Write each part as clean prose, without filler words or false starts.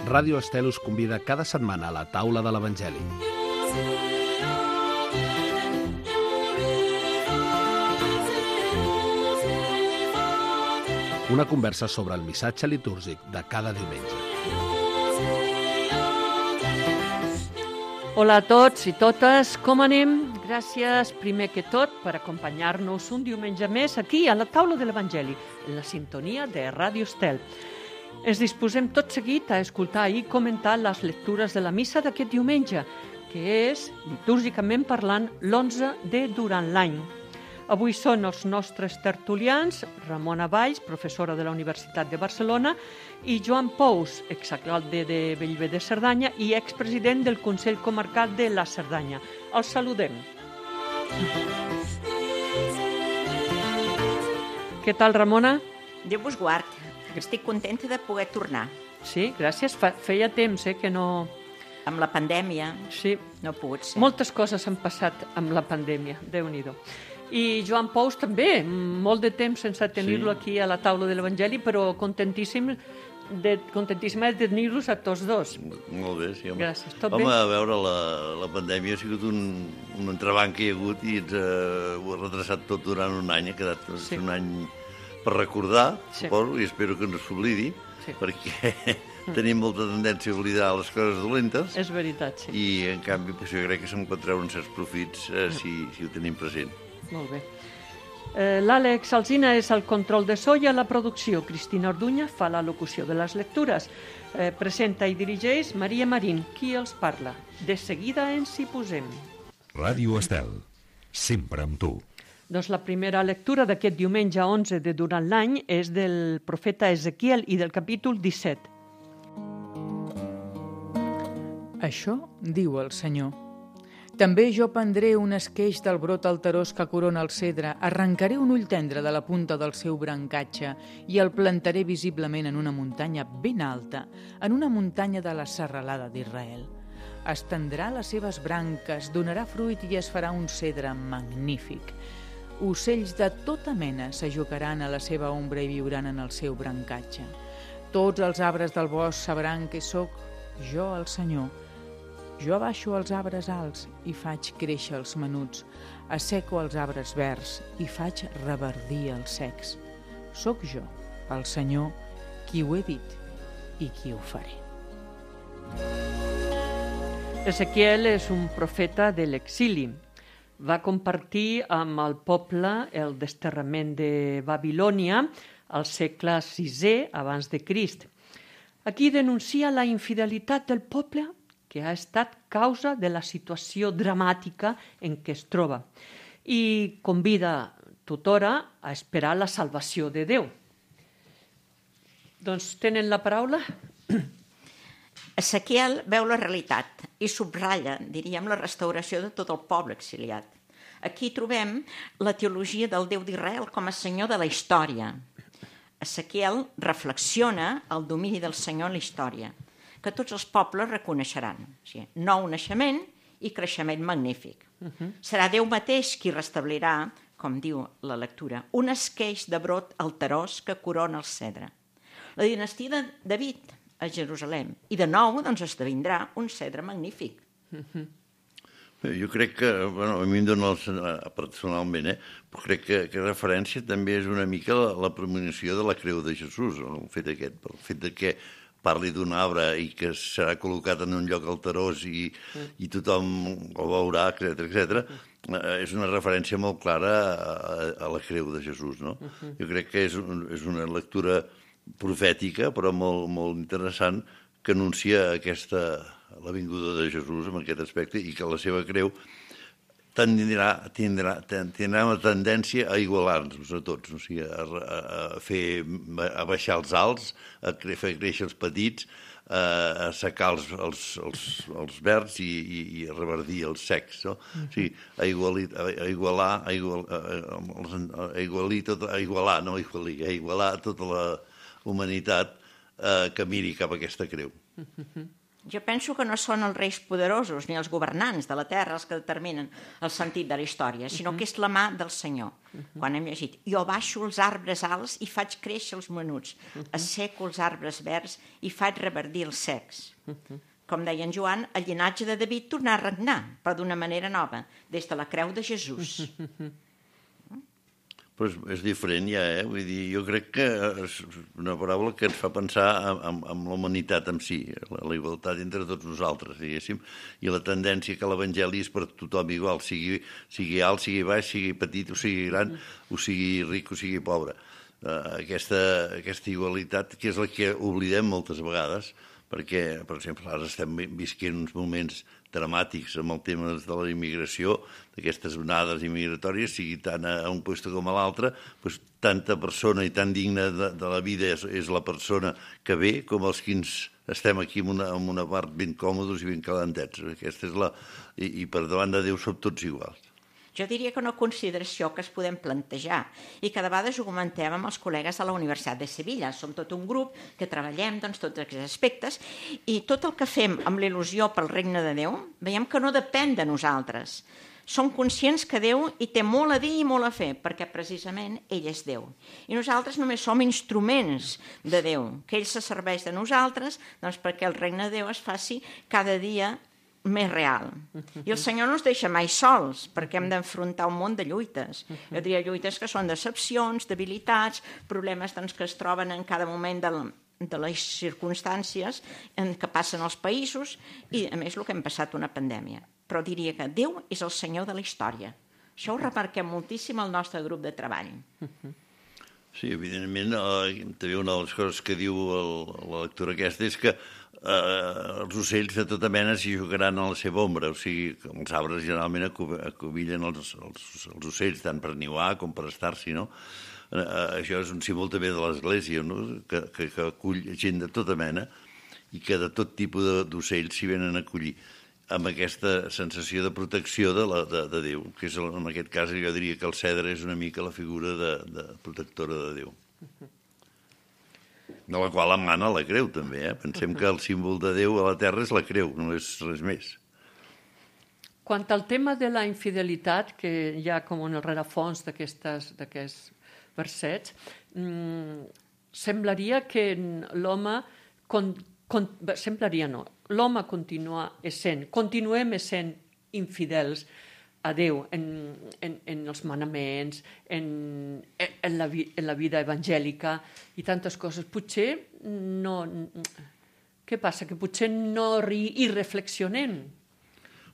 Ràdio Estel us convida cada setmana a la taula de l'Evangeli. Una conversa sobre el missatge litúrgic de cada diumenge. Hola a tots i totes, com anem? Gràcies, primer que tot, per acompanyar-nos un diumenge més aquí a la taula de l'Evangeli, en la sintonia de Ràdio Estel. Ens disposem tot seguit a escoltar i comentar les lectures de la missa d'aquest diumenge, que és, litúrgicament parlant, l'11 de durant l'any. Avui són els nostres tertulians, Ramona Valls, professora de la Universitat de Barcelona, i Joan Pous, exalcalde de Bellver de Cerdanya i expresident del Consell Comarcal de la Cerdanya. Els saludem. Què tal, Ramona? Déu vos guard. Estic contenta de poder tornar. Sí, gràcies. Feia temps que no... Amb la pandèmia sí. No ha pogut ser. Moltes coses han passat amb la pandèmia, Déu-n'hi-do. I Joan Pous també, molt de temps sense tenir-lo aquí a la taula de l'Evangeli, però contentíssima de tenir-los a tots dos. Molt bé, sí, home. Gràcies, tot bé? Home, a veure, la pandèmia ha sigut un entrebanc que hi ha hagut i ens ho ha retrasat tot durant un any, ha quedat un any per recordar, suposo, i espero que no s'oblidi, perquè tenim molta tendència a oblidar les coses dolentes. És veritat, sí. I, en canvi, jo crec que se'n pot treure uns certs profits si ho tenim present. Molt bé. L'Àlex Alsina és el control de so i a la producció. Cristina Orduña fa la locució de les lectures. Presenta i dirigeix Maria Marín, qui els parla. De seguida ens hi posem. Ràdio Estel, sempre amb tu. Doncs la primera lectura d'aquest diumenge 11 de durant l'any és del profeta Ezequiel i del capítol 17. Això diu el Senyor. També jo prendré un esqueix del brot alterós que corona el cedre, arrencaré un ull tendre de la punta del seu brancatge i el plantaré visiblement en una muntanya ben alta, en una muntanya de la serralada d'Israel. Estendrà les seves branques, donarà fruit i es farà un cedre magnífic. Ocells de tota mena s'ajugaran a la seva ombra i viuran en el seu brancatge. Tots els arbres del bosc sabran que sóc jo el Senyor. Jo abaixo els arbres alts i faig créixer els menuts, asseco els arbres verds i faig reverdir els secs. Soc jo, el Senyor, qui ho he dit i qui ho faré. Ezequiel és un profeta de l'exili. Va compartir amb el poble el desterrament de Babilònia al segle VI abans de Crist. Aquí denuncia la infidelitat del poble que ha estat causa de la situació dramàtica en què es troba i convida tothora a esperar la salvació de Déu. Doncs tenen la paraula? Ezequiel veu la realitat i subratlla, diríem, la restauració de tot el poble exiliat. Aquí trobem la teologia del Déu d'Israel com a senyor de la història. Ezequiel reflexiona el domini del Senyor en la història, que tots els pobles reconeixeran. O sigui, nou naixement i creixement magnífic. Serà Déu mateix qui restablirà, com diu la lectura, un esqueix de brot alterós que corona el cedre. La dinastia de David a Jerusalem. I de nou doncs, esdevindrà un cedre magnífic. Jo crec que, bueno, a mi em dona personalment, però crec que referència també és una mica la premonició de la creu de Jesús, el fet aquest, el fet que parli d'un arbre i que serà col·locat en un lloc alterós i tothom ho veurà, etc. És una referència molt clara a la creu de Jesús, no? Jo crec que és una lectura profètica, però molt interessant, que anuncia la vinguda de Jesús en aquest aspecte i que la seva creu tindrà una tendència a igualar-nos a tots, o sigui, a baixar els alts, a fer créixer els petits, a assecar els verds i a reverdir els secs, no? O sigui, a igualar tota la humanitat que miri cap a aquesta creu. Jo penso que no són els reis poderosos ni els governants de la terra els que determinen el sentit de la història, sinó que és la mà del Senyor. Quan hem llegit, jo baixo els arbres alts i faig créixer els menuts, asseco els arbres verds i faig reverdir els secs. Com deia en Joan, el llinatge de David tornà a regnar, però d'una manera nova, des de la creu de Jesús. Però és diferent ja, Vull dir, jo crec que és una paraula que ens fa pensar en la humanitat en si, la igualtat entre tots nosaltres, diguéssim, i la tendència que l'Evangeli és per tothom igual, sigui alt, sigui baix, sigui petit o sigui gran, o sigui ric o sigui pobre. Aquesta igualitat, que és la que oblidem moltes vegades, perquè, per exemple, ara estem visquent uns moments dramàtics amb el tema de la immigració, d'aquestes onades immigratòries, sigui tant a un lloc com a l'altre, doncs tanta persona i tan digna de la vida és la persona que ve, com els que estem aquí en una part ben còmodes i ben calentets. Aquesta és I per davant de Déu som tots iguals. Jo diria que una consideració que es podem plantejar i que de vegades ho comentem amb els col·legues de la Universitat de Sevilla. Som tot un grup que treballem tots aquests aspectes i tot el que fem amb l'il·lusió pel regne de Déu veiem que no depèn de nosaltres. Som conscients que Déu hi té molt a dir i molt a fer, perquè precisament ell és Déu. I nosaltres només som instruments de Déu, que ell se serveix de nosaltres perquè el regne de Déu es faci cada dia més real. I el Senyor no ens deixa mai sols, perquè hem d'enfrontar un munt de lluites. Jo diria lluites que són decepcions, debilitats, problemes que es troben en cada moment de les circumstàncies en què passen els països i, a més, el que hem passat una pandèmia. Però diria que Déu és el Senyor de la història. Això ho remarquem moltíssim al nostre grup de treball. Sí, evidentment, també una de les coses que diu la lectura aquesta és que els ocells de tota mena s'hi jugaran a la seva ombra, o sigui, els arbres generalment acobillen els ocells tant per niuar com per estar-s'hi, no? Això és un símbol també de l'Església, no? que acull gent de tota mena i que de tot tipus d'ocells s'hi venen a acollir amb aquesta sensació de protecció de Déu, que és, en aquest cas jo diria que el cedre és una mica la figura de protectora de Déu. De la qual emana la creu, també. Pensem que el símbol de Déu a la terra és la creu, no és res més. Quant al tema de la infidelitat, que hi ha com un rerefons d'aquests versets, semblaria que l'home... Semblaria no. L'home continuem essent infidels a Déu en els manaments, en la vida evangèlica i tantes coses. Potser no... Què passa? Que potser no hi reflexionem?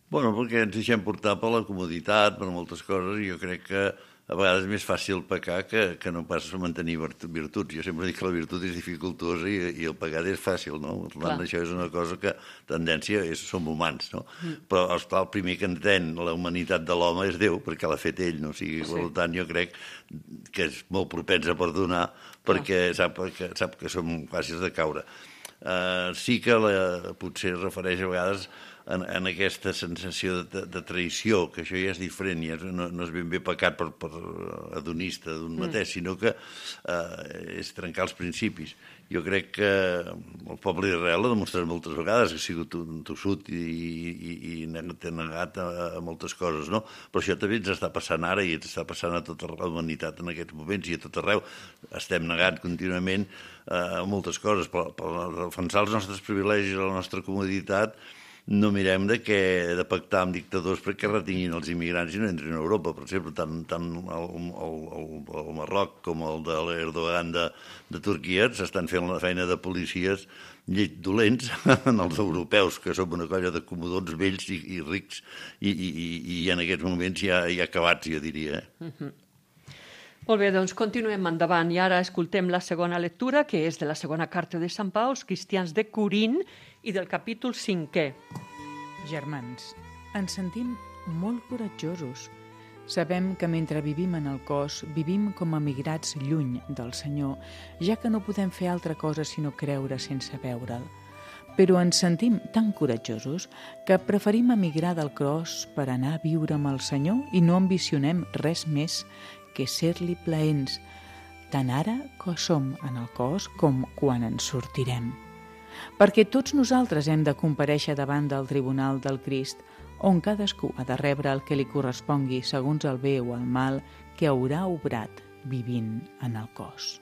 Bueno, perquè ens deixem portar per la comoditat, per moltes coses, i jo crec que a vegades és més fàcil pecar que no pas mantenir virtuts. Jo sempre dic que la virtut és dificultosa i el pecat és fàcil, no? Per tant, això és una cosa que tendència som humans, no? Però, esclar, el primer que entén la humanitat de l'home és Déu, perquè l'ha fet ell, no? O sigui, per tant, jo crec que és molt propens a perdonar perquè sap que som fàcils de caure. Sí que potser es refereix a vegades en aquesta sensació de traïció, que això ja és diferent, ja no és ben bé pecat per hedonista d'un mateix, sinó que és trencar els principis. Jo crec que el poble d'Israel ha demostrat moltes vegades que ha sigut un tossut i té negat a moltes coses, no? Però això també ens està passant ara i ens està passant a tota la humanitat en aquests moments i a tot arreu. Estem negant contínuament a moltes coses, però per defensar els nostres privilegis, la nostra comoditat, no mirem de pactar amb dictadors perquè retinguin els immigrants i no entrin a Europa. Per exemple, tant el Marroc com el de l'Erdogan de Turquia s'estan fent la feina de policies dolents en els europeus, que som una colla de comodons vells i rics i en aquests moments ja acabats, jo diria. Molt bé, doncs continuem endavant i ara escoltem la segona lectura, que és de la segona carta de Sant Pau als cristians de Corint i del capítol 5è. Germans, ens sentim molt coratjosos. Sabem que mentre vivim en el cos, vivim com a migrats lluny del Senyor, ja que no podem fer altra cosa sinó creure sense veure'l. Però ens sentim tan coratjosos que preferim emigrar del cos per anar a viure amb el Senyor i no ambicionem res més que ser-li plaents, tant ara que som en el cos com quan ens sortirem. perquè tots nosaltres hem de comparèixer davant del tribunal del Crist, on cadascú ha de rebre el que li correspongui segons el bé o el mal que haurà obrat vivint en el cos.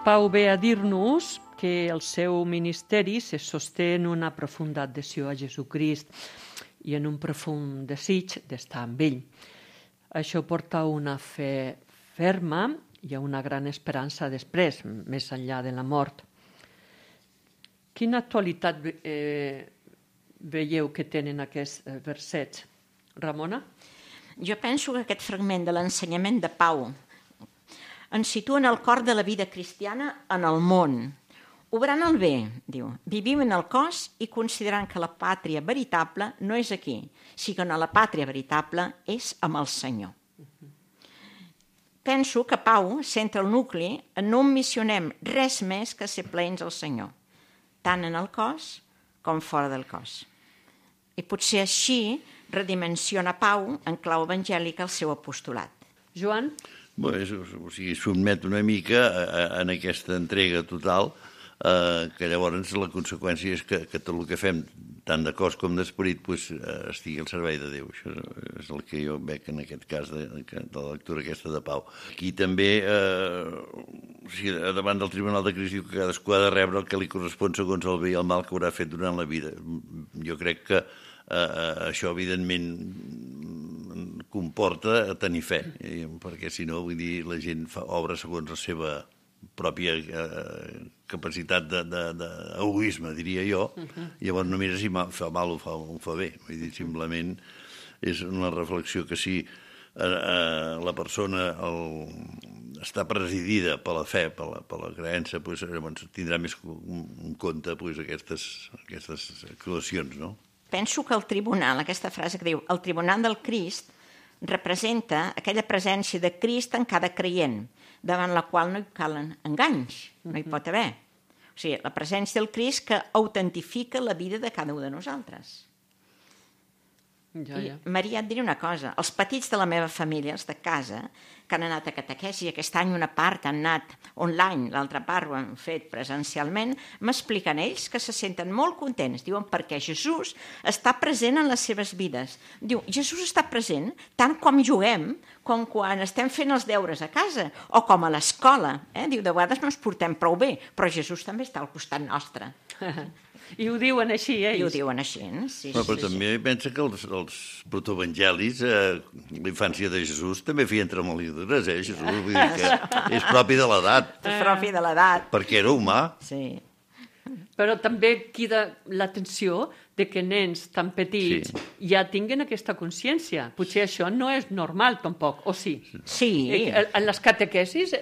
Pau ve a dir-nos que el seu ministeri se sosté en una profunda adhesió a Jesucrist i en un profund desig d'estar amb ell. Això porta a una fe ferma i a una gran esperança després, més enllà de la mort. Quina actualitat veieu que tenen aquests versets? Ramona? Jo penso que aquest fragment de l'ensenyament de Pau ens situa en el cor de la vida cristiana en el món. Obrant el bé, diu, vivim en el cos i considerant que la pàtria veritable no és aquí, sinó la pàtria veritable és amb el Senyor. Penso que Pau centra el nucli en no missionem res més que ser plens al Senyor, tant en el cos com fora del cos. I potser així redimensiona Pau en clau evangèlica el seu apostolat. Joan? Sotmet una mica en aquesta entrega total, que llavors la conseqüència és que tot el que fem, tant de cos com d'esperit, estigui al servei de Déu. Això és el que jo veig en aquest cas de la lectura aquesta de Pau. Aquí també, davant del Tribunal de Crist, diu que cadascú ha de rebre el que li correspon segons el bé i el mal que haurà fet durant la vida. Jo crec que això, evidentment, comporta tenir fe, perquè si no, vull dir, la gent obra segons la seva pròpia capacitat d'egoisme, diria jo. Llavors no mira si fa mal o fa bé. Vull dir, simplement és una reflexió que si la persona està presidida per la fe, per la creença, tindrà més en compte aquestes actuacions, no? Penso que el tribunal, aquesta frase que diu, el tribunal del Crist, representa aquella presència de Crist en cada creient, davant la qual no hi calen enganys, no hi pot haver. O sigui, la presència del Crist que autentifica la vida de cada un de nosaltres. Ja. Maria, et diré una cosa, els petits de la meva família, els de casa, que han anat a catequesi, aquest any una part han anat online, l'altra part ho han fet presencialment, m'expliquen ells que se senten molt contents, diuen, perquè Jesús està present en les seves vides. Diu, Jesús està present tant com juguem, com quan estem fent els deures a casa, o com a l'escola. Diu, de vegades no ens portem prou bé, però Jesús també està al costat nostre. I ho diuen així, ells? I ho diuen així, sí. Però també pensa que els protoevangelis, la infància de Jesús, també feien tremoladures, Jesús, vull dir que és propi de l'edat. És propi de l'edat. Perquè era humà. Sí. Però també queda l'atenció de que nens tan petits ja tinguen aquesta consciència. Potser això no és normal, tampoc, o sí? Sí. En les catequesis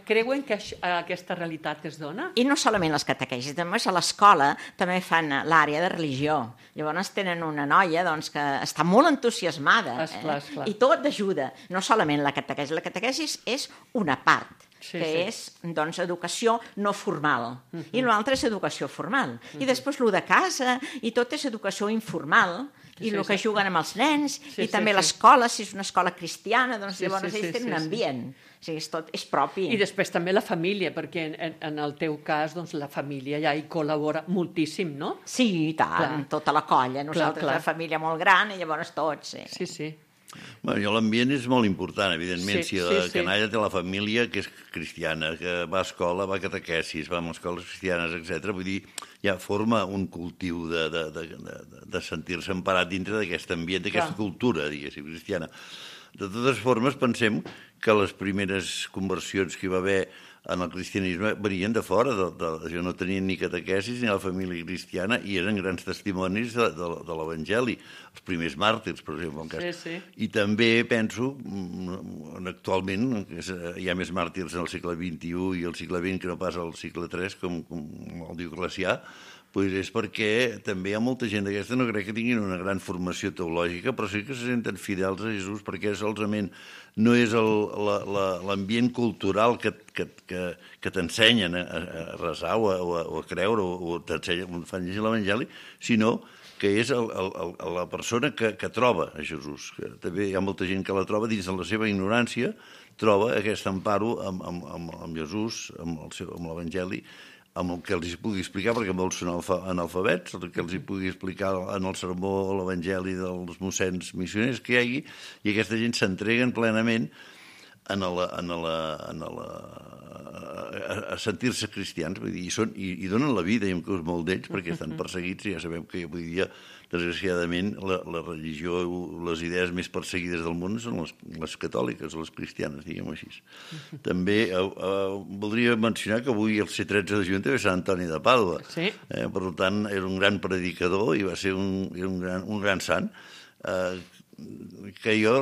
creuen que aquesta realitat es dona? I no solament les catequesis, també a l'escola també fan l'àrea de religió. Llavors tenen una noia que està molt entusiasmada. Esclar. I tot ajuda. No solament la catequesi. La catequesi és una part. És educació no formal. I l'altre és educació formal. I després el de casa, i tot és educació informal, i el que juguen amb els nens, i també l'escola, si és una escola cristiana, doncs llavors ells tenen un ambient. O sigui, tot és propi. I després també la família, perquè en el teu cas la família ja hi col·labora moltíssim, no? Sí, i tant, tota la colla. Nosaltres una família molt gran, i llavors tots. Sí. L'ambient és molt important, evidentment. Si la canalla té la família que és cristiana, que va a escola, va a catequesis, va a escoles cristianes, etc. Vull dir, ja forma un cultiu de sentir-se emparat dintre d'aquest ambient, d'aquesta cultura, diguéssim, cristiana. De totes formes, pensem que les primeres conversions que hi va haver en el cristianisme venien de fora, jo no tenien ni catequesis ni la família cristiana i eren grans testimonis de l'Evangeli, els primers màrtirs, per exemple. I també penso, actualment, hi ha més màrtirs en el segle XXI i el segle XX que no pas al segle III, com el diu Glacià, doncs és perquè també hi ha molta gent d'aquesta, no crec que tinguin una gran formació teològica, però sí que se senten fidels a Jesús perquè solament no és l'ambient cultural que t'ensenyen a resar o a creure o fan llegir l'Evangeli, sinó que és la persona que troba a Jesús. També hi ha molta gent que la troba dins de la seva ignorància, troba aquest emparo amb Jesús, amb l'Evangeli, amb el que els pugui explicar, perquè molts són analfabets, el que els pugui explicar en el sermó o l'evangeli dels mossens missioners que hi hagi, i aquesta gent s'entreguen plenament a sentir-se cristians, vull dir, i donen la vida, i inclús molt d'ells, perquè estan perseguits, i ja sabem que avui dia, desgraciadament, la religió, les idees més perseguides del món són les catòliques, les cristianes, diguem-ho així. També voldria mencionar que avui, el C13 de juny, també és Sant Antoni de Pàdua. Sí. Per tant, era un gran predicador i va ser un gran sant, que jo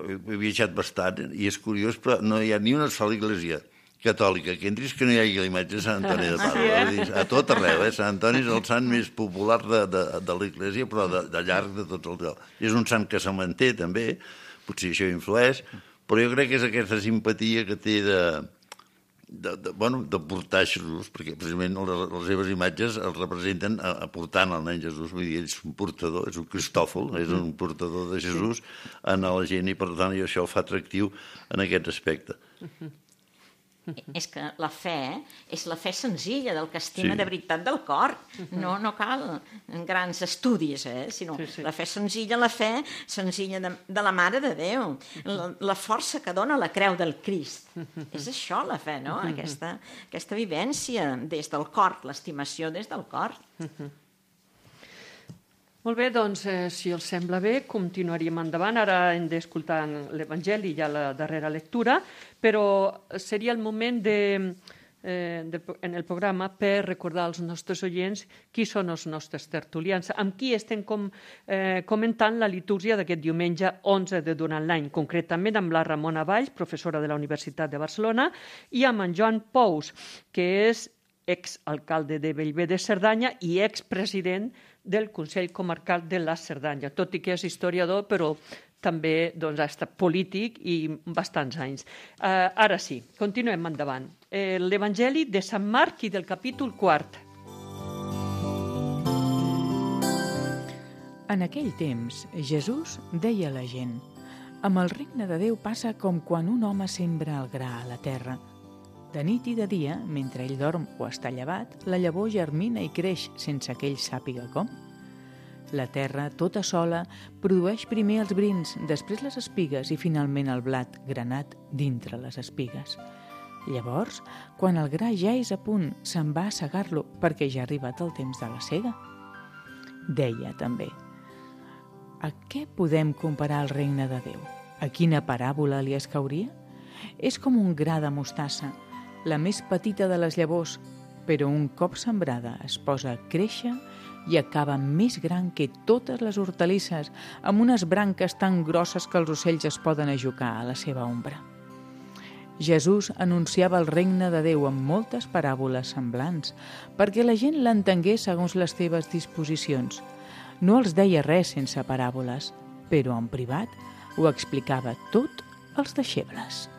he viatjat bastant, i és curiós, però no hi ha ni una sola església catòlica que entris que no hi hagi la imatge de Sant Antoni de Pàdua. A tot arreu, Sant Antoni és el sant més popular de l'església, però de llarg de tots els llocs. És un sant que se manté, també, potser això influeix, però jo crec que és aquesta simpatia que té de portar Jesús, perquè precisament les seves imatges el representen portant el nen Jesús, vull dir, és un portador, és un cristòfol, és un portador de Jesús a la gent, i per tant això el fa atractiu en aquest aspecte. És que la fe és la fe senzilla, del que estima de veritat del cor. No cal grans estudis, sinó la fe senzilla de la Mare de Déu, la força que dona la creu del Crist. És això la fe, no? Aquesta vivència des del cor, l'estimació des del cor. Molt bé, doncs, si els sembla bé, continuaríem endavant. Ara hem d'escoltar l'Evangeli, ja la darrera lectura, però seria el moment en el programa per recordar als nostres oients qui són els nostres tertulians, amb qui estem comentant la litúrgia d'aquest diumenge 11 de durant l'any, concretament amb la Ramona Valls, professora de la Universitat de Barcelona, i amb en Joan Pous, que és exalcalde de Bellver de Cerdanya i expresident del Consell Comarcal de la Cerdanya, tot i que és historiador, però també ha estat polític i bastants anys. Ara sí, continuem endavant. L'Evangeli de Sant Marc i del capítol 4. En aquell temps, Jesús deia a la gent: «Amb el regne de Déu passa com quan un home sembra el gra a la terra. De nit i de dia, mentre ell dorm o està llevat, la llavor germina i creix sense que ell sàpiga com. La terra, tota sola, produeix primer els brins, després les espigues i finalment el blat granat dintre les espigues. Llavors, quan el gra ja és a punt, se'n va a segar-lo perquè ja ha arribat el temps de la sega». Deia també: «A què podem comparar el regne de Déu? A quina paràbola li escauria? És com un gra de mostassa, la més petita de les llavors, però un cop sembrada es posa a créixer i acaba més gran que totes les hortalisses, amb unes branques tan grosses que els ocells es poden ajucar a la seva ombra». Jesús anunciava el regne de Déu amb moltes paràboles semblants, perquè la gent l'entengués segons les seves disposicions. No els deia res sense paràboles, però en privat ho explicava tot als deixebles.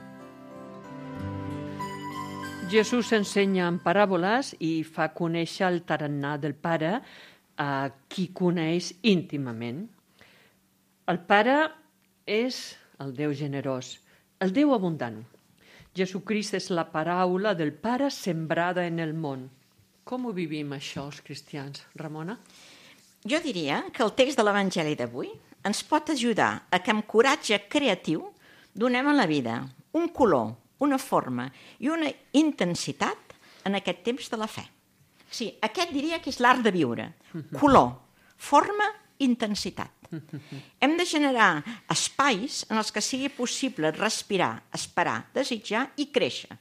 Jesús ensenya en paràboles i fa conèixer el tarannà del Pare a qui coneix íntimament. El Pare és el Déu generós, el Déu abundant. Jesucrist és la paraula del Pare sembrada en el món. Com ho vivim això, els cristians? Ramona? Jo diria que el text de l'Evangeli d'avui ens pot ajudar a que amb coratge creatiu donem a la vida un color, una forma i una intensitat en aquest temps de la fe. Sí, aquest diria que és l'art de viure. Color, forma, intensitat. Hem de generar espais en els que sigui possible respirar, esperar, desitjar i créixer.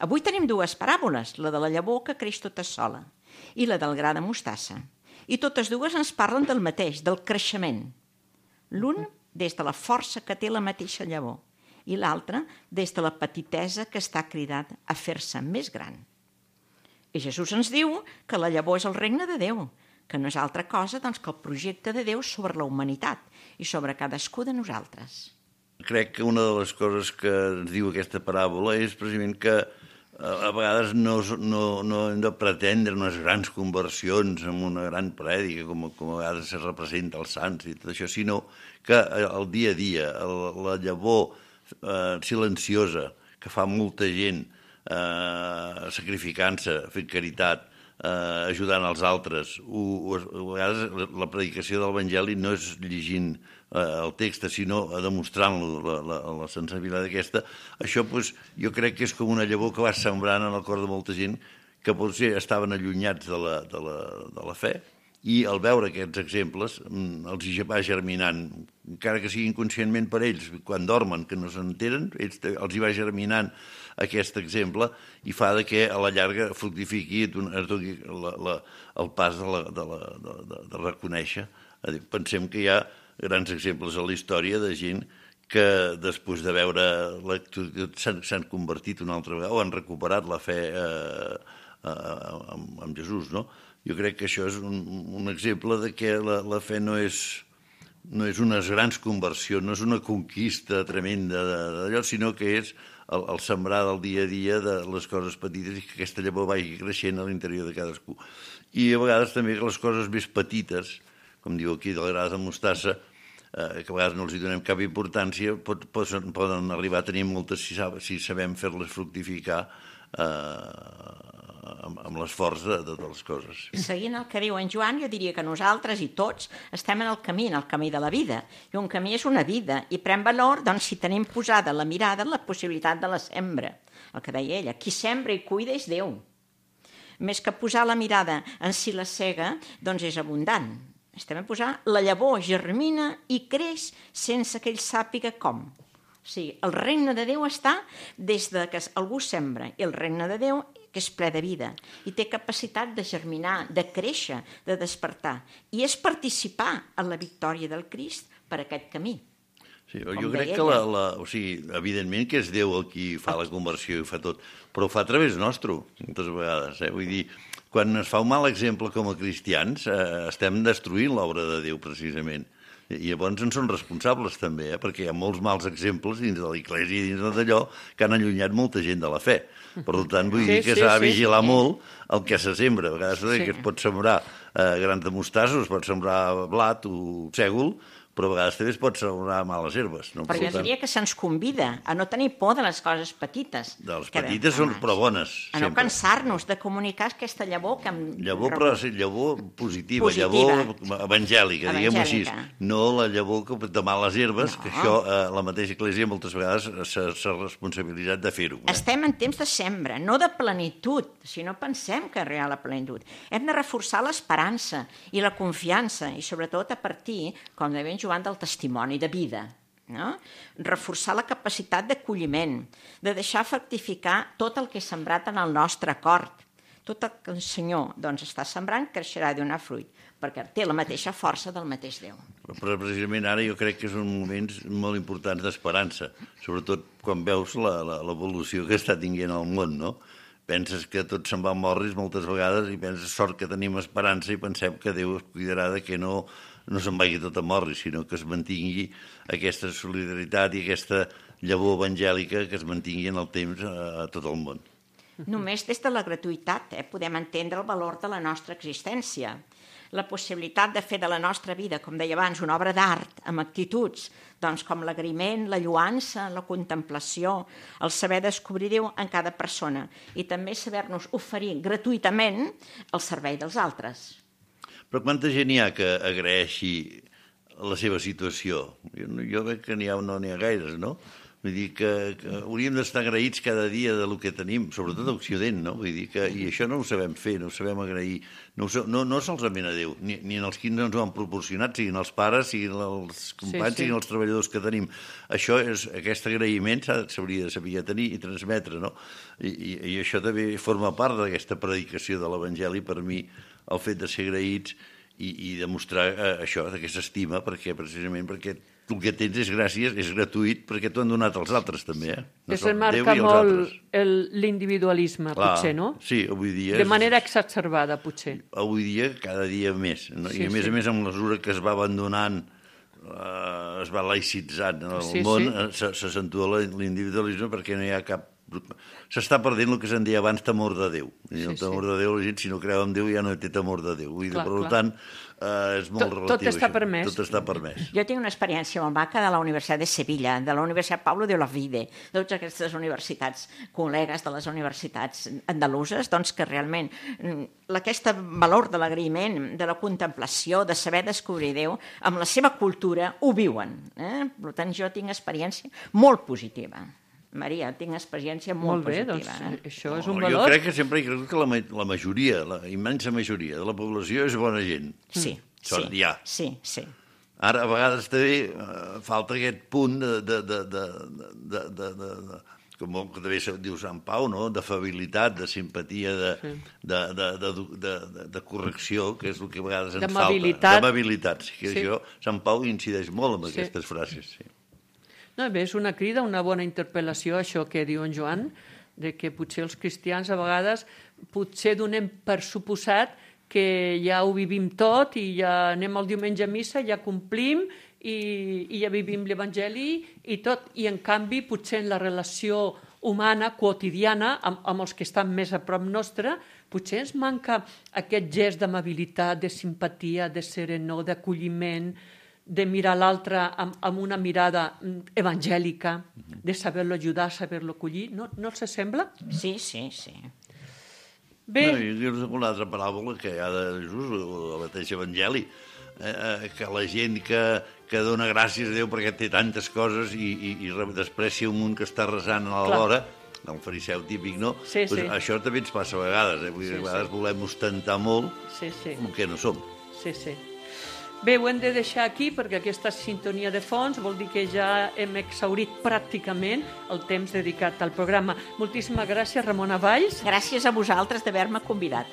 Avui tenim dues paràboles, la de la llavor que creix tota sola i la del gra de mostassa. I totes dues ens parlen del mateix, del creixement. L'un des de la força que té la mateixa llavor i l'altre des de la petitesa que està cridat a fer-se més gran. I Jesús ens diu que la llavor és el regne de Déu, que no és altra cosa que el projecte de Déu sobre la humanitat i sobre cadascú de nosaltres. Crec que una de les coses que ens diu aquesta paràbola és precisament que a vegades no hem de pretendre unes grans conversions amb una gran prèdica, com a vegades se representa als sants i tot això, sinó que el dia a dia, la llavor silenciosa que fa molta gent sacrificant-se, fent caritat, ajudant els altres. A vegades la predicació de l'Evangeli no és llegint el text, sinó demostrant-lo, la sensibilitat aquesta. Això jo crec que és com una llavor que va sembrant en el cor de molta gent que potser estaven allunyats de la fe, i al veure aquests exemples els hi va germinant, encara que sigui inconscientment per ells, quan dormen, que no s'enteren, els hi va germinant aquest exemple i fa que a la llarga fructifiqui el pas de reconèixer. Pensem que hi ha grans exemples a la història de gent que després de veure l'actitud s'han convertit una altra vegada o han recuperat la fe amb Jesús, no? Jo crec que això és un exemple de que la fe no és unes grans conversions, no és una conquista tremenda d'allò, sinó que és el sembrar del dia a dia de les coses petites i que aquesta llavor vagi creixent a l'interior de cadascú. I a vegades també que les coses més petites, com diu aquí, del gra de mostassa, que a vegades no els hi donem cap importància, poden arribar a tenir moltes si sabem fer-les fructificar amb l'esforç de totes les coses. Seguint el que diu en Joan, jo diria que nosaltres i tots estem en el camí de la vida. I un camí és una vida, i pren valor si tenim posada la mirada en la possibilitat de la sembra. El que deia ella, qui sembra i cuida és Déu. Més que posar la mirada en si la cega, és abundant. Estem a posar la llavor germina i creix sense que ell sàpiga com. O sigui, el regne de Déu està des que algú sembra, i el regne de Déu que és ple de vida, i té capacitat de germinar, de créixer, de despertar. I és participar en la victòria del Crist per aquest camí. Sí, jo crec que, evidentment que és Déu el qui fa la conversió i fa tot, però ho fa a través nostre, moltes vegades. Vull dir, quan es fa un mal exemple com a cristians, estem destruint l'obra de Déu, precisament. I llavors en són responsables també, perquè hi ha molts mals exemples dins de l'Església i dins d'allò que han allunyat molta gent de la fe. Per tant, vull dir que s'ha de vigilar molt el que se sembra. A vegades que es pot sembrar grans de mostassa, es pot sembrar blat o sègol, però a vegades també es pot sembrar males herbes. No? Però jo diria que se'ns convida a no tenir por de les coses petites. De les petites són però bones. A no cansar-nos de comunicar aquesta llavor que hem... Llavor, però llavor positiva, llavor evangèlica, diguem-ho així. No la llavor de males herbes, que això la mateixa Església moltes vegades s'ha responsabilitzat de fer-ho. Estem en temps de sembra, no de plenitud, si no pensem que és real la plenitud. Hem de reforçar l'esperança i la confiança, i sobretot a partir, com deia Joan, del testimoni de vida. No? Reforçar la capacitat d'acolliment, de deixar fructificar tot el que és sembrat en el nostre cor. Tot el que el Senyor està sembrant creixerà i donarà fruit, perquè té la mateixa força del mateix Déu. Però precisament ara jo crec que són moments molt importants d'esperança, sobretot quan veus l'evolució que està tinguent el món, no? Penses que tot se'n va a morris moltes vegades i penses sort que tenim esperança i pensem que Déu es cuidarà de que no se'n vagi tot a morris, sinó que es mantingui aquesta solidaritat i aquesta llavor evangèlica que es mantingui en el temps a tot el món. Només des de la gratuïtat podem entendre el valor de la nostra existència. La possibilitat de fer de la nostra vida, com deia abans, una obra d'art amb actituds, com l'agraïment, la lluança, la contemplació, el saber descobrir Déu en cada persona i també saber-nos oferir gratuïtament el servei dels altres. Però quanta gent hi ha que agraeixi la seva situació? Jo veig que no n'hi ha gaires, no? Vull dir que hauríem d'estar agraïts cada dia del que tenim, sobretot a Occident, no? Vull dir que, i això no ho sabem fer, no ho sabem agrair, no solament a Déu, ni en els qui ens ho han proporcionat, siguin els pares, siguin els companys, siguin els treballadors que tenim. Aquest agraïment s'hauria de saber tenir i transmetre, no? I això també forma part d'aquesta predicació de l'Evangeli, per mi, el fet de ser agraïts i demostrar això, aquesta estima, precisament perquè el que tens és gràcies, és gratuït, perquè t'ho han donat els altres també. Es remarca molt l'individualisme, potser, no? Sí, avui dia... De manera exacerbada, potser. Avui dia, cada dia més. I a més, amb mesura que es va abandonant, es va laïcitzant el món, s'accentua l'individualisme perquè no hi ha cap s'està perdent el que se'n deia abans temor de Déu. I el temor de Déu, la gent, si no creu en Déu, ja no té temor de Déu. I, per tant, és molt relatiu. Tot està permès. Tot està permès. Jo tinc una experiència molt maca de la Universitat de Sevilla, de la Universitat Pablo de Olavide, de totes aquestes universitats, col·legues de les universitats andaluses, doncs que realment aquest valor de l'agraïment, de la contemplació, de saber descobrir Déu, amb la seva cultura ho viuen. Per tant, jo tinc experiència molt positiva. Maria, tinc experiència molt positiva. Doncs, això és un valor. Jo crec que sempre que la majoria, la immensa majoria de la població és bona gent. Sí. Sí. Ara, a vegades també falta aquest punt com també diu Sant Pau, no? D'afabilitat, de simpatia, de correcció, que és el que a vegades ens falta. D'amabilitat. Això, Sant Pau incideix molt en aquestes frases, sí. No, bé, és una crida, una bona interpel·lació, això que diu en Joan, de que potser els cristians a vegades potser donem per suposat que ja ho vivim tot i ja anem el diumenge a missa, ja complim i ja vivim l'Evangeli i tot. I en canvi, potser en la relació humana, quotidiana, amb els que estan més a prop nostre, potser ens manca aquest gest d'amabilitat, de simpatia, de serenor, d'acolliment, de mirar l'altre amb una mirada evangèlica, de saber-lo ajudar, saber-lo acollir. No els sembla? Sí. Bé. Jo una altra paràbola que hi ha de Jesús, el mateix evangeli, que la gent que dona gràcies a Déu perquè té tantes coses i desprecia un munt que està resant a l'hora, el fariseu típic, no? Sí. Això també ens passa a vegades, a vegades volem ostentar molt el que no som. Sí. Bé, ho hem de deixar aquí perquè aquesta sintonia de fons vol dir que ja hem exhaurit pràcticament el temps dedicat al programa. Moltíssimes gràcies, Ramona Valls. Gràcies a vosaltres d'haver-me convidat.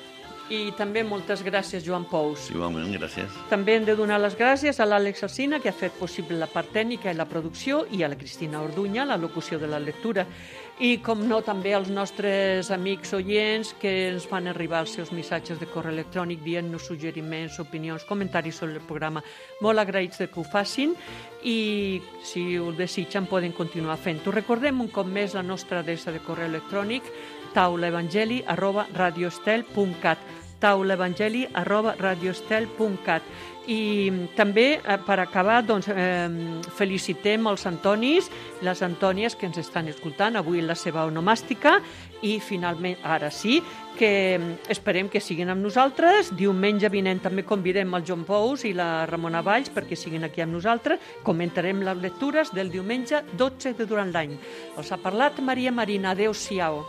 I també moltes gràcies, Joan Pous. Igualment, gràcies. També hem de donar les gràcies a l'Àlex Alsina, que ha fet possible la part tècnica i la producció, i a la Cristina Orduña, la locució de la lectura. I, com no, també als nostres amics oients que ens fan arribar els seus missatges de correu electrònic dient-nos suggeriments, opinions, comentaris sobre el programa. Molt agraïts que ho facin i, si ho desitgen, poden continuar fent-ho. Recordem un cop més la nostra adreça de correu electrònic taulaevangeli@radioestel.cat taulaevangeli@radioestel.cat. I també, per acabar, doncs, felicitem els Antonis, les Antònies que ens estan escoltant avui en la seva onomàstica i, finalment, ara sí, que esperem que siguin amb nosaltres. Diumenge vinent també convidem el Joan Pous i la Ramona Valls perquè siguin aquí amb nosaltres. Comentarem les lectures del diumenge 12 de durant l'any. Els ha parlat Maria Marina. Adéu-siau.